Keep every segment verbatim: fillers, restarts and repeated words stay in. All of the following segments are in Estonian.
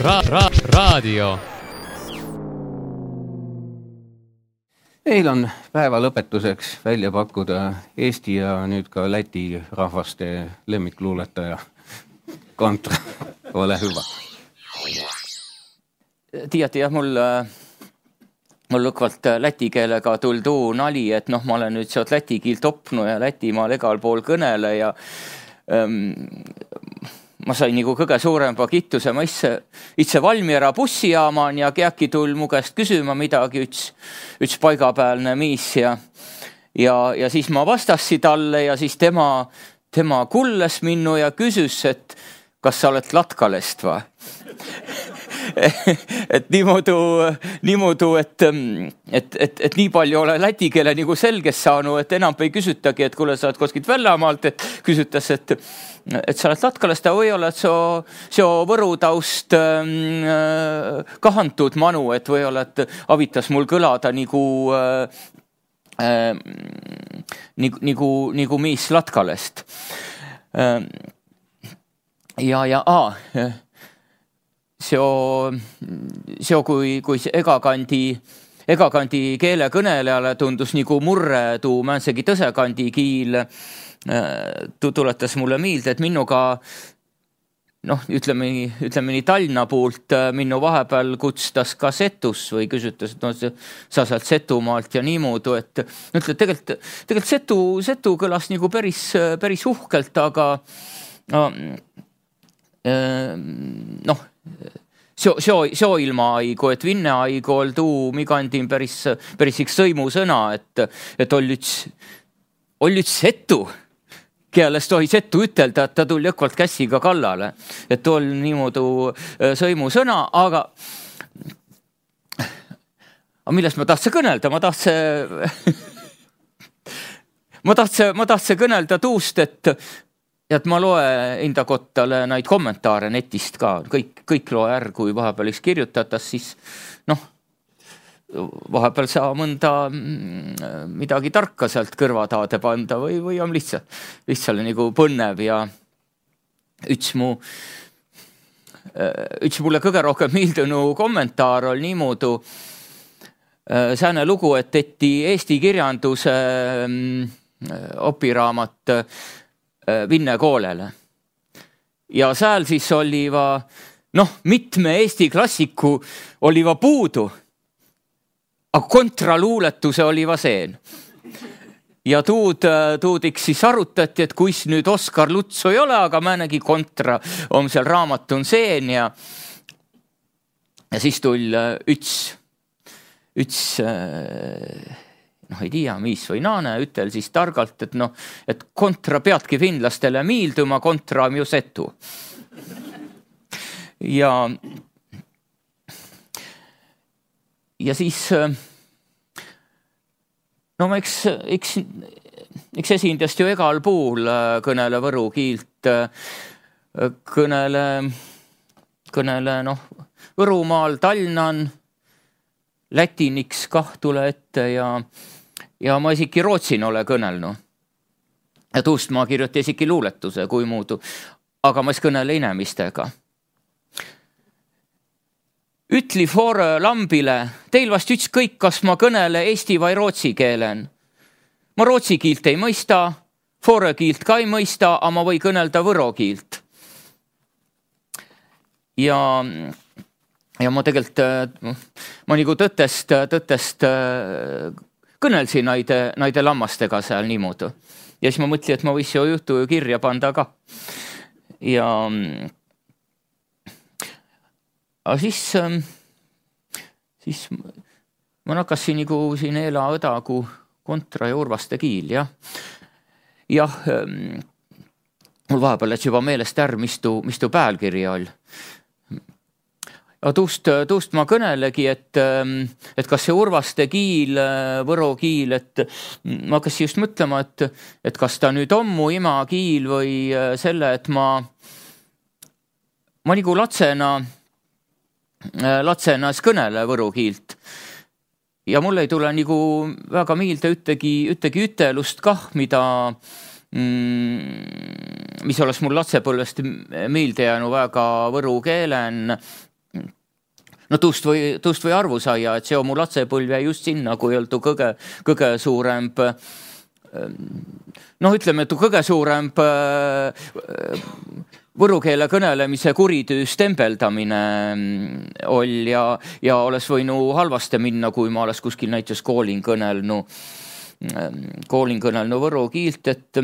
ra- ra- raadio. Meil on päeva lõpetuseks välja pakkuda Eesti ja nüüd ka Läti rahvaste lemmikluuletaja Kontra. Ole hüva. Tiiati jah, mul, mul lõkvalt läti keelega tuldu nali, et noh, ma olen nüüd sealt läti kiilt opnu ja Lätimaal egal pool kõnele ja ähm, ma sain nagu kõige suurempa kittuse, ma itse, itse Valmiera bussijaaman ja keäki tull mu käest küsima midagi, üks, üks paigapäälne miis ja, ja, ja siis ma vastassi talle ja siis tema, tema kulles minnu ja küsis, et kas sa oled Latkalest va? et niimoodi, niimoodi et, et, et, et nii palju ole läti keele nagu selges saanud, et enam ei küsitagi, et kuule, sa oled koskilt Väljamaalt, et küsitas, et, et sa oled Latkalest ja või oled so, so Võru taust äh, kahantud manu, et või oled avitas mul kõlada nagu äh, äh, nagu, nagu, nagu miis Latkalest. Äh, ja, ja, aa, Seo, seo kui, kui egakandi, egakandi keele kõnelejale tundus nagu murre tuu mänsegi tõsekandi kiil, tu tuletas mulle miilde, et minuga, noh, ütleme, ütleme nii Tallinna poolt minu vahepeal kutstas ka Setus või küsitas, et no, sa sealt Setumaalt ja niimoodi, et ütled, tegelikult, tegelikult Setu, Setu kõlas nagu päris, päris uhkelt, aga no, noh, Seo, seo, seo ilma aigu, et vinne aigu ol tuu migandin päris, päris üks sõimu sõna, et, et ol üks, ol üks setu, keales tohi setu ütelda, et ta tuli jõkvalt kässiga kallale. Et ol niimoodi sõimu sõna, aga, aga millest ma tahtsin kõnelda? Ma tahtsin, ma tahtsin, ma tahtsin kõnelda tuust, et ja et ma loe enda kottale neid kommentaare netist ka, kõik, kõik loe är, kui vahepeal üks kirjutatas, siis noh, vahepeal saa mõnda midagi tarka sealt kõrvataade panda või, või on lihtsalt, lihtsalt nagu põnnev ja üks mu, üks mulle kõige rohkem miildunu kommentaar oli niimoodi sääne lugu, et eti Eesti kirjanduse opiraamat Vinne koolele. Ja sääl siis oli va, noh, mitme Eesti klassiku oli va puudu, aga kontraluuletuse oli va seen. Ja tuud, tuudiks siis arutati, et kuis nüüd Oskar Lutsu ei ole, aga määnegi kontra on seal raamatun seen ja, ja siis tull üks, üks noh, ei tea, mis või naane, ütel siis targalt, et noh, et kontra peadki finlastele miilduma, kontra on ju setu. Ja, ja siis, no ma eks, eks, eks esindast ju egal puul kõnele võru kiilt, kõnele, kõnele, noh, Võrumaal, Tallinnan, Lätiniks kah tule ette ja ja ma isegi Rootsin ole kõnelnu. Ja tuust ma kirjuti isegi luuletuse kui muudu, aga ma es kõnele inemistega. Ütli Foore lambile, teil vast ükskõik, kas ma kõnele eesti või rootsi keelen. Ma rootsi kiilt ei mõista, Foore kiilt ka ei mõista, aga ma või kõnelda võro kiilt. Ja ja ma tegelikult, ma nagu tõttest, tõttest kõnelsin naide, naide lammastega seal niimoodi. Ja siis ma mõtli, et ma võis ju juhtu kirja panda ka. Ja aga siis, siis ma nakkasin nagu siin Eela õdagu kontra ja Urvaste kiil, jah. Jah, mul vahepeal et juba meelest är, mistu, mistu päälkirja all. Tuust, tuust ma kõnelegi, et, et kas see Urvaste kiil, võro kiil, et ma hakkasin just mõtlema, et, et kas ta nüüd on mu ima kiil või selle, et ma, ma nagu latsena, latsena kõnele võro kiilt. Ja mul ei tule nagu väga miilde üttegi, üttegi ütelust kah, mida, mis oleks mul latsepõlvest miilde jäänu väga võru keelen, no tuust või, tuust või arvu saia, et see on mu latsepõlv jäi just sinna, kui oldu kõige, kõige suurem, noh ütleme, et kõige suurem võru keele kõnelemise kuritüü stembeldamine oli ja, ja oleks võinu halvaste minna, kui ma oleks kuskil näiteks koolin kõnelnu, koolin kõnelnu võru kiilt, et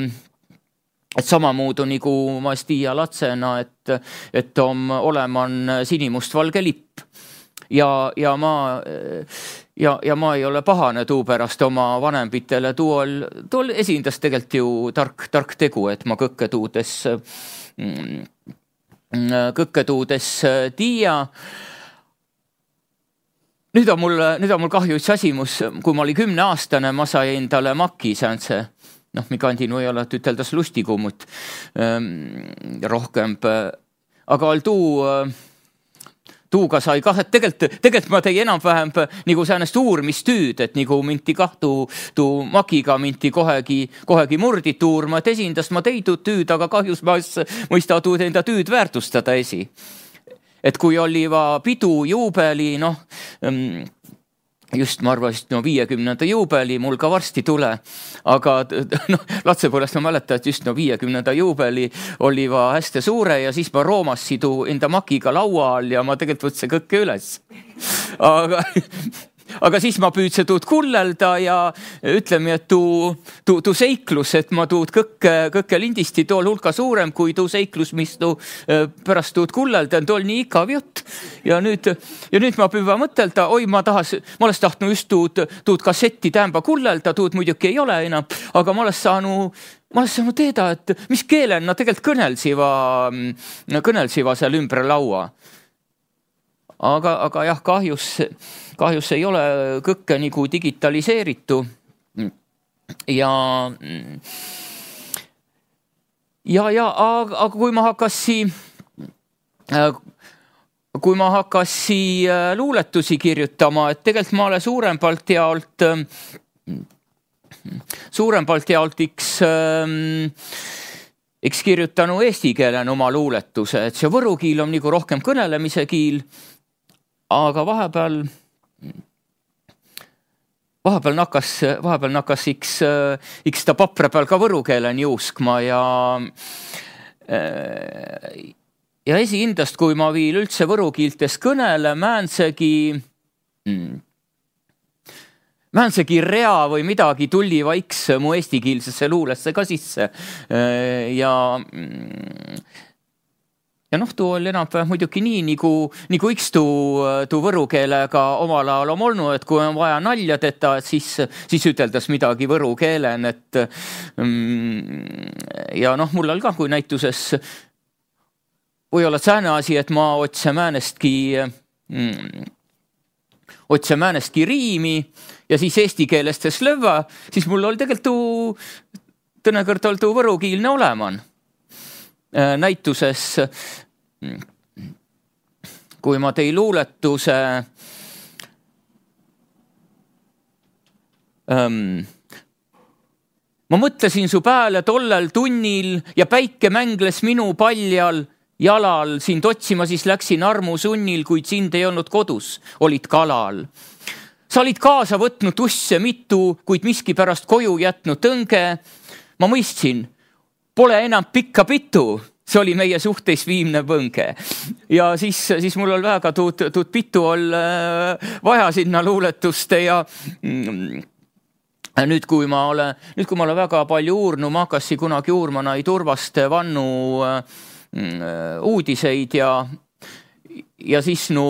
et samamuudu nagu ma Stia latsena, et, et on oleman sinimustvalge lipp ja, ja ma ja, ja ma ei ole pahane tuu pärast oma vanempitele, tuol, tuol esindas tegelikult ju tark, tark tegu, et ma kõkke tuudes kõkke tuudes tiia. Nüüd on mul, nüüd on mul kahju üks asimus, kui ma oli kümne aastane, ma sai endale maki säänse, noh, mi kandin või ole, et üteldas lustikummut rohkem, aga all tuu, tuuga sai kah, et tegelikult, tegelikult ma tegi enam-vähem nagu säänest uurmistüüd, et nagu minti kahtu, tuu makiga minti kohegi, kohegi murdit uurma, et esindast ma teidud tüüd, aga kahjus ma mõista tuud enda tüüd väärtustada esi. Et kui oli va pidu juubeli, noh, just ma arvasin, no viiekümnenda juubeli mul ka varsti tule, aga no, latsepõlest ma mäletan, et just no viiekümnenda juubeli oli va hästi suure ja siis ma roomas sidu enda makiga laua all ja ma tegelikult võtsin kõkke üles. Aga, aga siis ma püüdsin tuud kullelda ja ütleme, et tuu, tuu, tuu seiklus, et ma tuud kõkke, kõkke lindisti tool hulka suurem kui tuu seiklus, mis tuu pärast tuud kullelda, tool nii ikav jutt. Ja nüüd, ja nüüd ma püüva mõtelda, oi, ma tahas, ma oleks tahtnud just tuud, tuud kassetti tämba kullelda, tuud muidugi ei ole enam, aga ma oleks saanud, ma oleks saanud teeda, et mis keelen na tegelikult kõnelsiva, kõnelsiva seal ümber laua. Aga, aga jah, kahjus, kahjus ei ole kõkke nagu digitaliseeritu ja ja, ja aga, aga kui ma hakkasi kui ma hakkasi luuletusi kirjutama, et tegelikult ma olen suurempalt jaolt suurempalt jaolt iks eks kirjutanu eesti keelen oma luuletuse, et see võru kiil on nagu rohkem kõnelemise kiil, aga vahepeal vahepeal nakkas, vahepeal nakkas iks, iks ta papra peal ka võru keelen juuskma ja ja esihindast, kui ma viil üldse võru kiiltes kõnele, määnsegi määnsegi rea või midagi tulli vaiks mu eestikiilsesse luulesse ka sisse ja ja noh, tuu oli enam muidugi nii, nagu, nagu üks tuu, tuu võru keelega omal ajal on olnud, et kui on vaja nalja teda, siis, siis üteldas midagi võru keelen, et ja noh, mul oli ka, kui näituses või olla sääne asi, et ma otse määnestki otse määnestki riimi ja siis eesti keelestes lõva, siis mul oli tegelikult tuu, tõnekõrd oli tuu võrukiilne oleman. Näituses, kui ma tei luuletuse ähm, ma mõtlesin su pääle tollel tunnil ja päike mängles minu paljal jalal, sind otsima siis läksin armu sunnil, kuid sind ei olnud kodus, olid kalal. Sa olid kaasa võtnud usse mitu, kuid miski pärast koju jätnud tõnge. Ma mõistsin, pole enam pikka pitu, see oli meie suhteis viimne põnge. Ja siis, siis mul oli väga tuud, tuud pitu ol vaja sinna luuletuste ja nüüd, kui ma olen, nüüd, kui ma olen väga palju uurnu, ma hakkasin kunagi uurma nai turvaste vannu uudiseid ja, ja siis nu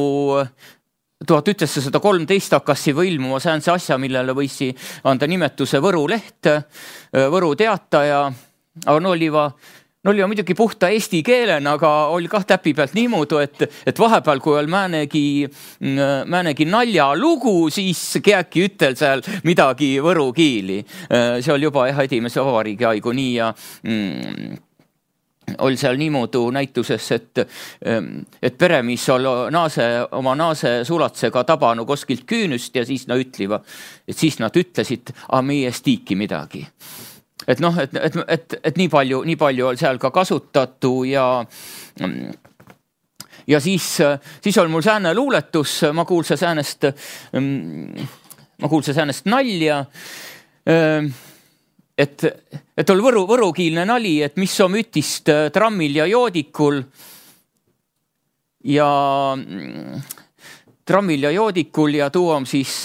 tuhat üheksasada kolmteist hakkas juba ilmuma säänse asja, millele võisi anda nimetuse Võru leht, Võru teataja. Aga no oli, va, no oli va muidugi puhta eesti keelen, aga oli kah täpi pealt niimoodi, et, et vahepeal, kui oli määnegi, määnegi nalja lugu, siis keegi ütel seal midagi võru kiili. See oli juba jah, edimese vabariigi aigu nii ja mm, oli seal niimoodi näituses, et, et peremis oli naase, oma naase sulatsega tabanu koskilt küünüst ja siis nad ütliva, et siis nad ütlesid, a meie stiiki midagi. Et noh, et, et, et, et nii palju, nii palju oli seal ka kasutatu ja, ja siis, siis oli mul sääne luuletus, ma kuulsin säänest, ma kuulsin säänest nalja, et, et oli võru, võrukiilne nali, et mis on ütist trammil ja joodikul ja trammil ja joodikul ja tuu on siis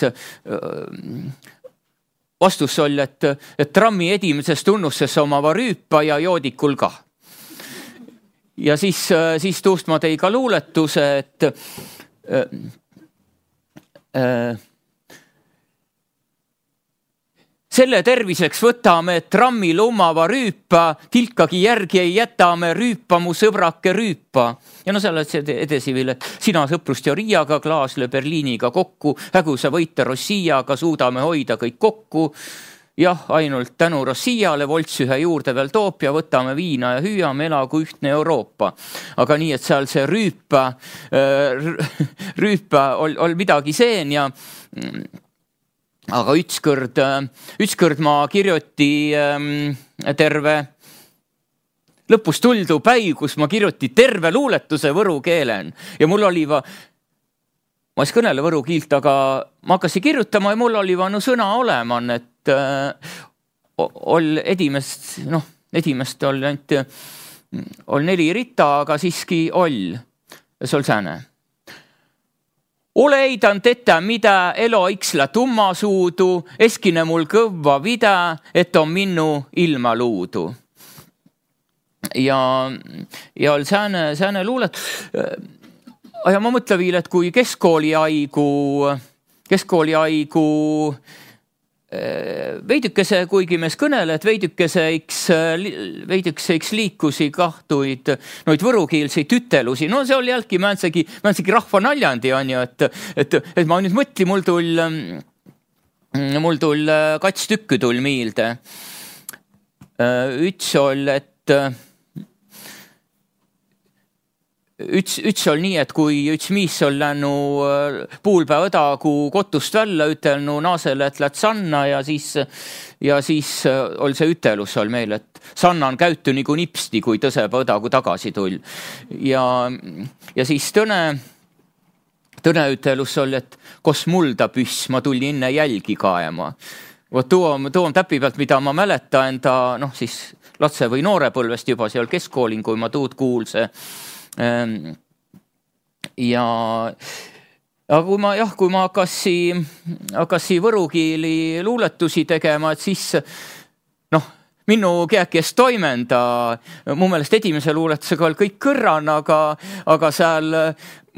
vastus oli, et, et trammi edimeses tunnusses omava rüüpa ja joodikul ka. Ja siis, siis tuust ma tõi ka luuletuse, et äh, äh, selle terviseks võtame trammil omava rüüpa, tilkagi järgi ei jätame rüüpa, mu sõbrake rüüpa. Ja no selle edasi veel, et sina sõprust ja Riiaga, Klaasle Berliiniga kokku, hägusa võita Rossiaga, suudame hoida kõik kokku. Jah, ainult tänu Rossiale Volts ühe juurde veel toop ja võtame viina ja hüüame elagu ühtne Euroopa. Aga nii, et seal see rüüpa, rüüpa ol, ol midagi seen ja aga ütskõrd, ütskõrd ma kirjuti terve lõpus tuldu päi, kus ma kirjuti terve luuletuse võru keelen ja mul oli va, ma ei kõnele võru kiilt, aga ma hakkasin kirjutama ja mul oli va no sõna oleman, et ol edimest, noh, edimest oli ainult, ol neli rita, aga siiski oll, see oli sääne. Ole eidan teta, mida elo iksla tumma suudu, eskine mul kõvva vida, et on minnu ilma luudu. Ja, ja oli sääne, sääne luulet. Ja ma mõtlen viil, et kui keskkooli aigu, keskkooli aigu veidükese, kuigi mees kõnele, et veidükese iks, veidükese iks liikusi kahtuid noid võrukiilseid ütelusi. No see oli jälgi mänsegi, mänsegi rahva naljandi on ju, et, et, et ma nüüd mõtli, mul tull, mul tull kats tükki tull miilde. Üts ol, et Üts, üts oli nii, et kui üts miis oli lännu puulpäev õdagu kotust välja ütelnu naasele, et läht Sanna ja siis, ja siis oli see ütelus oli meil, et Sanna on käytty nagu nipsti, kui tõseba õdagu tagasi tull. Ja, ja siis tõne, tõne ütelus oli, et kos mulda püss, ma tulli inne jälgi kaema. Vot tuo on, tuo on täpi pealt, mida ma mäleta enda, noh siis latse või noore põlvest juba seal keskkoolin, kui ma tuud kuulse. Ja aga kui ma, jah, kui ma hakasi, hakasi võrukiili luuletusi tegema, et siis noh, minu keekest toimenda, mu meelest edimese luuletusega oli kõik kõrran, aga, aga seal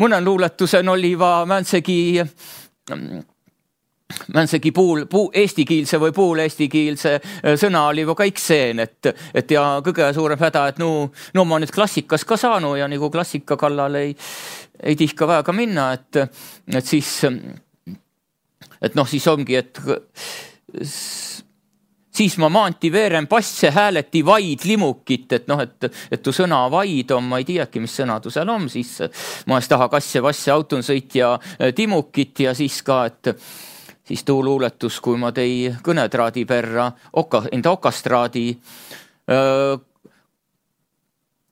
mõnen luuletusen oli va mänsegi mänsegi puul, puu, eestikiilse või puul eestikiilse sõna oli juba kõik seen, et, et ja kõige suurem häda, et no, no ma nüüd klassikas ka saanu ja nagu klassika kallal ei, ei tihka väga minna, et, et siis, et noh, siis ongi, et siis ma maanti veeren passe hääleti vaid limukit, et noh, et, et tu sõna vaid on, ma ei tiiaki, mis sõna tu seal on, siis ma ees taha kasse vasse auton sõit ja timukit ja siis ka, et siis tuu luuletus, kui ma tei kõnetraadi perra, oka, enda okastraadi, öö,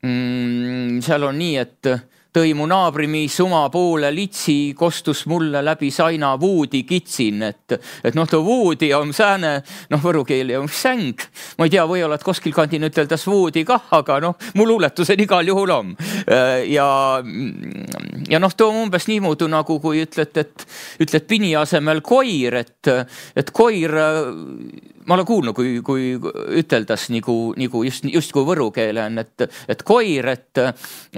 mm, seal on nii, et tõi mu naabrimiis oma poole litsi, kostus mulle läbi saina vuudi kitsin, et, et noh, too vuudi on sääne, noh, võrukeeli on säng. Ma ei tea, või oled koskil kandin üteldas vuudi kah, aga noh, mu luuletusen igal juhul on. Ja, ja noh, too umbes niimoodi nagu, kui ütled, et ütled pini asemel koir, et, et koir, ma olen kuulnud, kui, kui üteldas nagu, nagu just, just kui võrukeele on, et, et koir, et,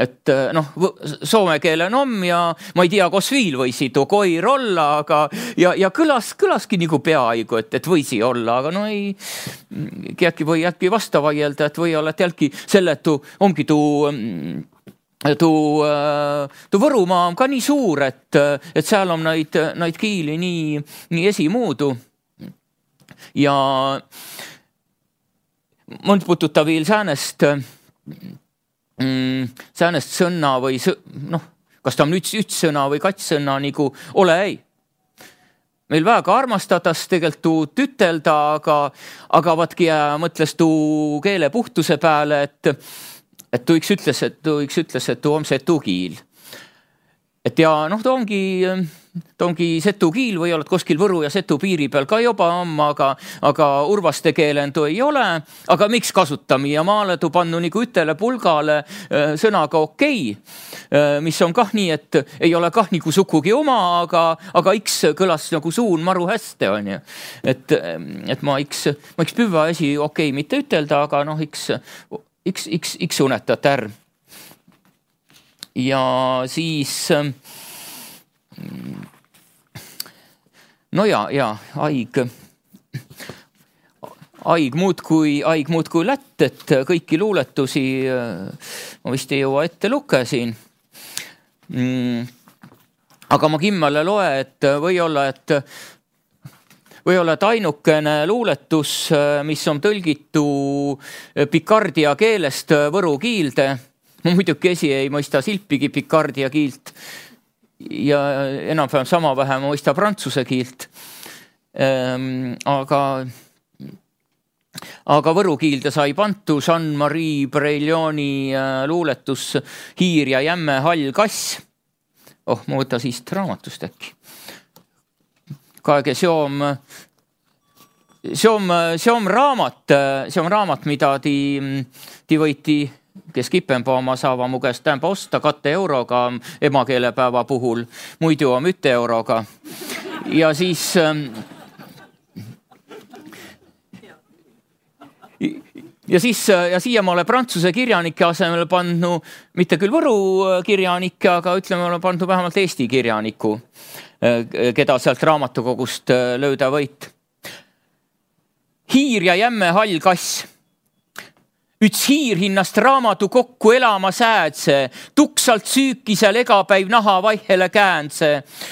et noh, soome keelen on ja ma ei tea, kos viil võisi too koir olla, aga ja, ja kõlas, kõlaski nagu peaaegu, et, et võisi olla, aga no ei, keegi või jätki vasta vaielda, et või oled jälgi selle, et tu, ongi tu Tu, tu Võrumaa on ka nii suur, et, et seal on neid, neid kiili nii, nii esimuudu. Ja mõnd pututa veel säänest, mm, säänest sõnna või noh, kas ta on üks, üks sõna või kats sõna nagu ole ei. Meil väga armastadas tegelikult tuud ütelda, aga, aga vatki mõtles tuu keele puhtuse peale, et et tu üks ütles, et tu üks ütles, et tu on see tugiil. et ja noh, ta ongi, ta ongi setu kiil või oled kuskil Võru ja Setu piiri peal ka juba on, aga, aga urvaste keelendu ei ole. Aga miks kasutami ja maale tu pannu nagu ütele pulgale sõnaga okei, mis on kah nii, et ei ole kah nagu sukugi oma, aga, aga iks kõlas nagu suun maru hästi on ju. Et, et ma iks, ma iks püva esi okei mitte ütelda, aga noh, iks, iks, iks, iks unetat ärm. Ja siis no ja, ja aig aig muud kui, aig muud kui lätt, et kõiki luuletusi ma vist ei jõua ette lukesin. Aga ma kimmale loe, et või olla, et või olla, et ainukene luuletus, mis on tõlgitu pikardia keelest võru kiilde. Ma muidugi esi ei mõista silpigi pikardia kiilt ja enam-vähem sama vähe ma mõista prantsuse kiilt. Ähm, aga, aga võru kiilde sai pantu Jean-Marie Breilloni luuletus Hiir ja jämme hall kass. Oh, ma võtta siist raamatust äkki. Kaege seom, seom, seom raamat, seom raamat, mida ti, ti võiti kes kipempa oma saava mu käest tämba osta katte euroga emakeelepäeva puhul, muidu on ütte euroga. Ja siis ja siis ja siia ma olen prantsuse kirjanike asemel pannu, mitte küll Võru kirjanike, aga ütleme, olen pannu vähemalt Eesti kirjaniku, keda sealt raamatukogust lööda võit. Hiir ja jämme hall kass. Üts hiir hinnast raamatu kokku elama säädse, tuksalt süükisel egapäiv naha vaihele käänse.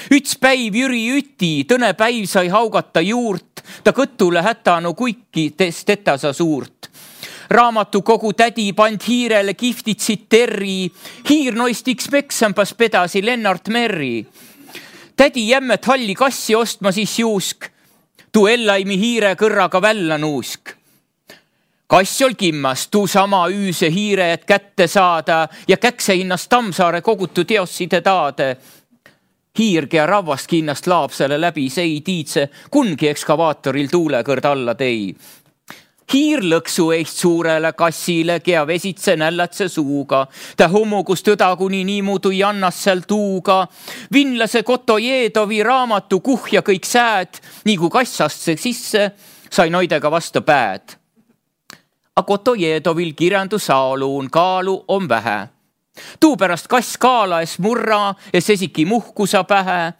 Üts päiv Jüri Üti, tõne päiv sai haugata juurt, ta kõttule hätanu kuiki tetasa suurt. Raamatu kogu tädi pand hiirele kiftitsid terri, hiir noist iks meksampas pedasi Lennart Merri. Tädi jämmet halli kassi ostma siis juusk, tu ellaimi hiire kõrraga välla nuusk. Kass ol kimmas, tuu sama üüse hiire, et kätte saada ja käkse hinnast Tammsaare kogutu teosside taade. Hiirge ja ravvast hinnast laapsele läbi sei tiidse, kungi ekskavaatoril tuulekõrd alla tei. Hiir lõksu eist suurele kassile, kea vesitse nällatse suuga. Ta hummugus tõda kuni niimudu jannas seal tuuga. Vinlase Kotojeedovi raamatu kuhja kõik sääd, nii kui kassast see sisse, sai noidega vastu pääd. A Kotojedovil kirjandu saaluun kaalu on vähe. Tuu pärast kass kaala es murra, es esiki muhkusa pähe.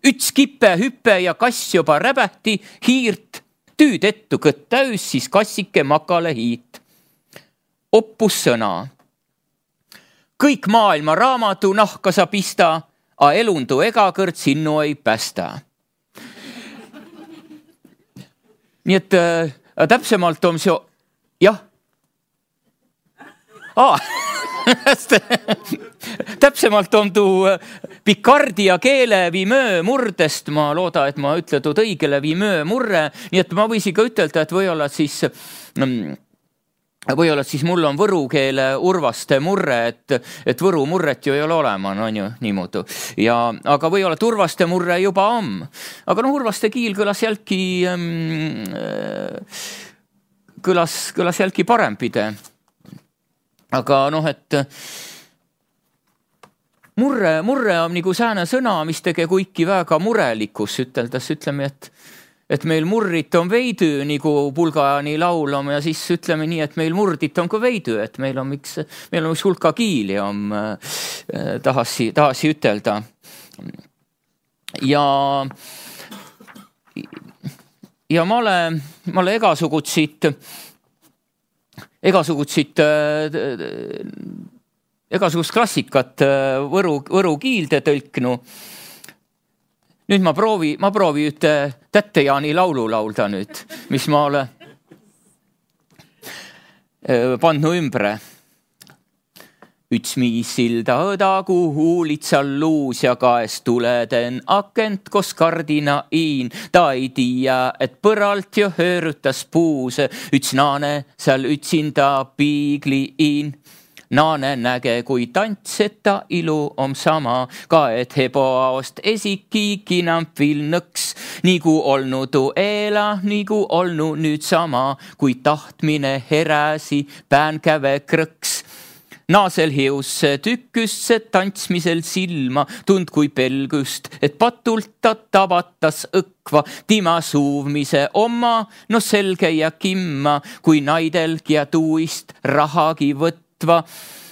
Üts kippe hüppe ja kass juba räbähti hiirt. Tüüd ettu kõtt täys, siis kassike makale hiit. Oppus sõna. Kõik maailma raamatu nahka sa pista, a elundu egakõrd sinnu ei päästa. Nii et äh, täpsemalt on see jah. Aa, täpsemalt on tuu pikardia keele vimöö murdest. Ma looda, et ma ütletud õigele vimöö murre. Nii et ma võisi ka ütelda, et või-olla siis, või-olla siis mul on võru keele urvaste murre, et, et võru murret ju ei ole olema, no on ju niimoodi. Ja, aga või-olla urvaste murre juba on. Aga no urvaste kiil kõlas jälki... Ähm, kõlas, kõlas jälki parempide. Aga noh, et murre, murre on nagu sääne sõna, mis tege kuiki väga murelikus üteldes. Ütleme, et, et meil murrit on veidy, nagu pulgajani laulama ja siis ütleme nii, et meil murdit on ka veidy, et meil on üks, meil on üks hulka kiili on, äh, tahasi, tahasi ütelda. Ja Ja ma olen, ma olen egasugutsid, egasugutsid, egasugust klassikat võru, võru kiilde tõlknu. Nüüd ma proovi, ma proovi üte Tätte-Jaani laulu laulda nüüd, mis ma olen pannu ümbre. Üts miis silda õda, kuhu litsal luus ja kaest tuleden akent kos kardina iin. Ta ei tiia, et põralt jo höörutas puuse. Üts naane seal ütsinda piigli iin. Naane näge, kui tants, eta ilu om sama, ka et heboaost esiki kinampil nõks, nigu olnu tu eela, nigu olnu nüüd sama, kui tahtmine heräsi päänkäve krõks. Naasel hiusse tükkysse tantsmisel silma, tund kui pelgust, et patult ta tabatas õkva, tima suuvmise oma, no selge ja kimma, kui naidelgi ja tuist rahagi võtva.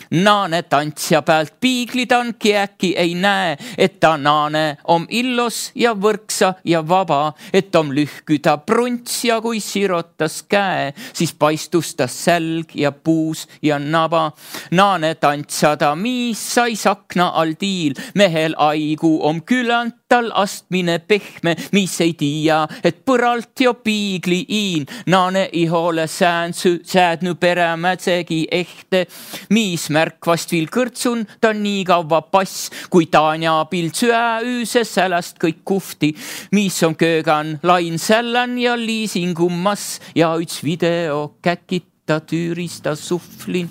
Naane tantsja pealt piiglidan kiäki ei näe, et ta naane om illos ja võrksa ja vaba, et om lühküda prunts ja kui sirotas käe, siis paistus ta sälg ja puus ja naba. Naane tantsada miis sai sakna all tiil, mehel aigu om külant tal astmine pehme, mis ei tia, et põralt jo piigli iin. Naane ihole säänsü, säädnu peremätsegi ehte, mis märkvast vil kõrtsun, ta nii kaua pass, kui Tanja pild süä üüse säläst kõik kufti, mis on köögan lain sällan ja liisingummas ja üts video käkita tüürista suhvlin.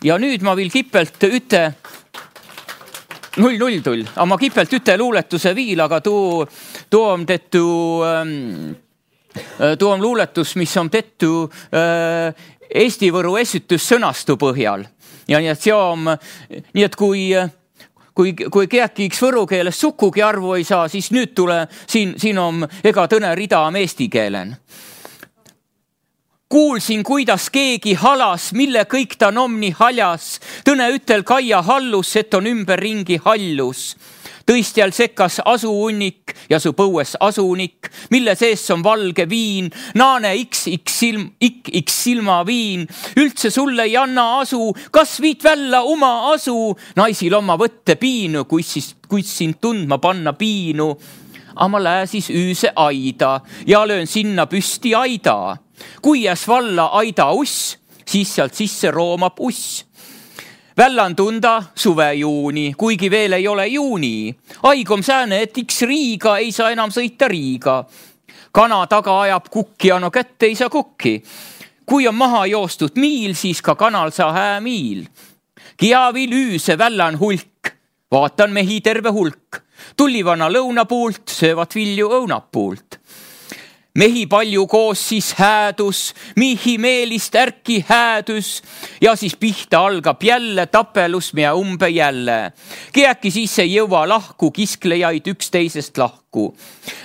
Ja nüüd ma vil kipelt üte null null tull, aga ma kipelt üte luuletuse viil, aga tuu, tuu on tehtu, tuu on luuletus, mis on tehtu Eesti Võru esitus sõnastu põhjal. Ja nii et see on, nii et kui, kui, kui keäkiks võru keeles sukugi arvu ei saa, siis nüüd tule, siin, siin on ega tõne rida on eesti keelen. Kuulsin, kuidas keegi halas, mille kõik ta nomni haljas. Tõne ütel Kaia hallus, et on ümber ringi hallus. Tõistjal sekkas asuunnik ja su põues asunik, mille sees on valge viin. Naane x x silm, ik x silma viin. Üldse sulle ei anna asu, kas viit välja oma asu. Naisil oma võtte piinu, kuis, siis, kuis sind tundma panna piinu. Aga ma lääsis üüse aida ja löön sinna püsti aida. Kui jäs valla aida uss, siis sealt sisse roomab uss. Vällan tunda suve juuni, kuigi veel ei ole juuni. Aigom sääne, et iks Riiga ei saa enam sõita Riiga. Kana taga ajab kukki, no kätte ei saa kukki. Kui on maha joostud miil, siis ka kanal saa hää miil. Kiavil üüse vällan hulk, vaatan mehi terve hulk. Tullivana lõunapuult, söövad vilju õunapuult. Mehi palju koos siis häädus, mihi meelist ärki häädus ja siis pihta algab jälle tapelus mea umbe jälle. Kiäki siis ei jõua lahku, kisklejaid üksteisest lahku.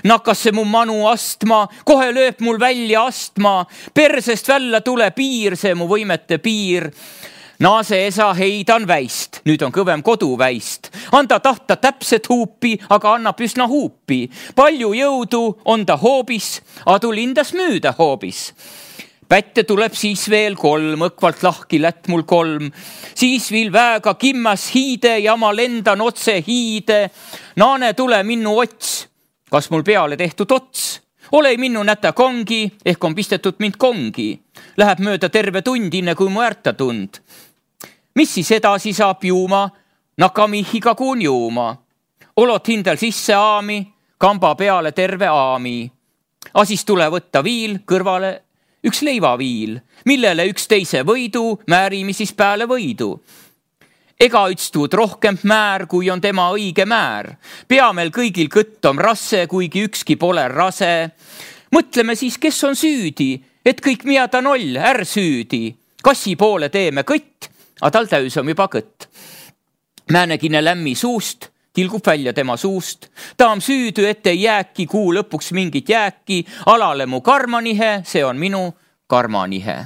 Nakkas see mu manu astma, kohe lööb mul välja astma, persest välja tule piir, see mu võimete piir. Naase esa heidan väist, nüüd on kõvem kodu väist. Anda tahta täpset huupi, aga annab üsna huupi. Palju jõudu on ta hoobis, adu lindas müüda hoobis. Pätte tuleb siis veel kolm, õkvalt lahki lätt mul kolm. Siis vil väega kimmas hiide ja ma lendan otse hiide. Naane tule minnu ots, kas mul peale tehtud ots? Ole minnu näta kongi, ehk on pistetud mind kongi. Läheb mööda terve tund, inne kui mu ärta tund. Mis siis edasi saab juuma? Nakamihiga kuun juuma. Olot hindel sisse aami, kamba peale terve aami. A siis tule võtta viil, kõrvale üks leivaviil, millele üks teise võidu määrimi siis pääle võidu. Ega üts tuud rohkem määr, kui on tema õige määr. Pea meil kõigil kõtt on rasse, kuigi ükski pole rase. Mõtleme siis, kes on süüdi, et kõik mida ta noll, är süüdi. Kassi poole teeme kõtt, a tal täys on juba kõtt. Määnegine lämmi suust, tilgub välja tema suust. Ta on süüdy, et ei jääki kuu lõpuks mingit jääki. Alale mu karmanihe, see on minu karmanihe.